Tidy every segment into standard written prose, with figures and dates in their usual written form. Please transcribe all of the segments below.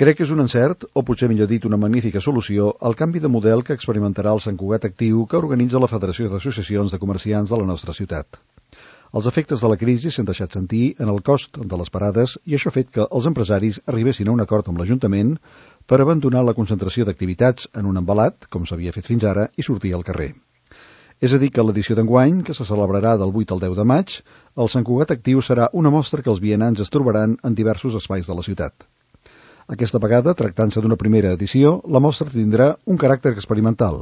Crec que és un encert, o potser millor dit una magnífica solució, el canvi de model que experimentarà el Sant Cugat Actiu que organitza la Federació d'Associacions de Comerciants de la nostra ciutat. Els efectes de la crisi s'han deixat sentir en el cost de les parades i això ha fet que els empresaris arribessin a un acord amb l'Ajuntament per abandonar la concentració d'activitats en un embalat, com s'havia fet fins ara, i sortir al carrer. És a dir, que l'edició d'enguany, que se celebrarà del 8 al 10 de maig, el Sant Cugat Actiu serà una mostra que els vianants es trobaran en diversos espais de la ciutat. Aquesta vegada, tractant-se d'una primera edició, la mostra tindrà un caràcter experimental,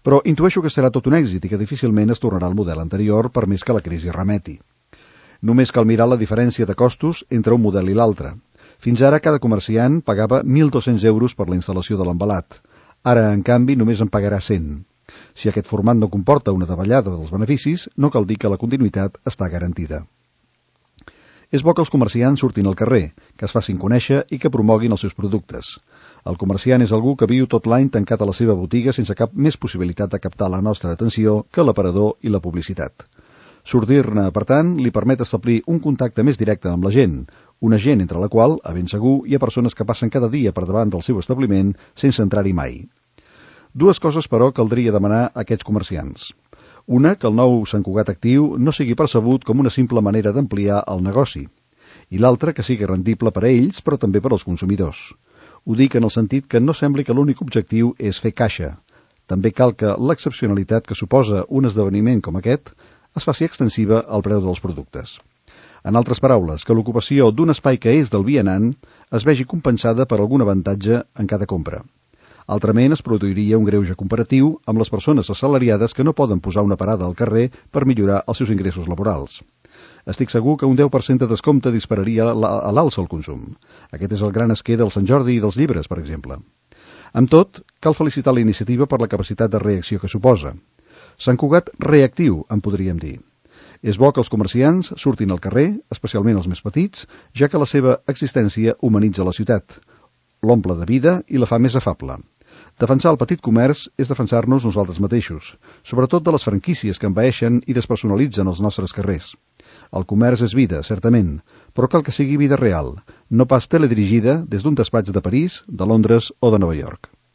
però intueixo que serà tot un èxit i que difícilment es tornarà al model anterior per més que la crisi remeti. Només cal mirar la diferència de costos entre un model i l'altre. Fins ara cada comerciant pagava 1.200 euros per la instal·lació de l'embalat. Ara, en canvi, només en pagarà 100. Si aquest format no comporta una davallada dels beneficis, no cal dir que la continuïtat està garantida. És bo que els comerciants surtin al carrer, que es facin conèixer i que promoguin els seus productes. El comerciant és algú que viu tot l'any tancat a la seva botiga sense cap més possibilitat de captar la nostra atenció que l'aparador i la publicitat. Sortir-ne, per tant, li permet establir un contacte més directe amb la gent, una gent entre la qual, a ben segur, hi ha persones que passen cada dia per davant del seu establiment sense entrar-hi mai. Dues coses, però, caldria demanar a aquests comerciants. Una, que el nou Sant Cugat Actiu no sigui percebut com una simple manera d'ampliar el negoci. I l'altra, que sigui rendible per a ells, però també per als consumidors. Ho dic en el sentit que no sembli que l'únic objectiu és fer caixa. També cal que l'excepcionalitat que suposa un esdeveniment com aquest es faci extensiva al preu dels productes. En altres paraules, que l'ocupació d'un espai que és del vianant es vegi compensada per algun avantatge en cada compra. Altrament es produiria un greuge comparatiu amb les persones assalariades que no poden posar una parada al carrer per millorar els seus ingressos laborals. Estic segur que un 10% de descompte dispararia a l'alça el consum. Aquest és el gran esquer del Sant Jordi i dels llibres, per exemple. Amb tot, cal felicitar la iniciativa per la capacitat de reacció que suposa. Sant Cugat reactiu, en podríem dir. És bo que els comerciants surtin al carrer, especialment els més petits, ja que la seva existència humanitza la ciutat, l'omple de vida i la fa més afable. Defensar el petit comerç és defensar-nos nosaltres mateixos, sobretot de les franquícies que envaeixen i despersonalitzen els nostres carrers. El comerç és vida, certament, però cal que sigui vida real, no pas teledirigida des d'un despatx de París, de Londres o de Nova York.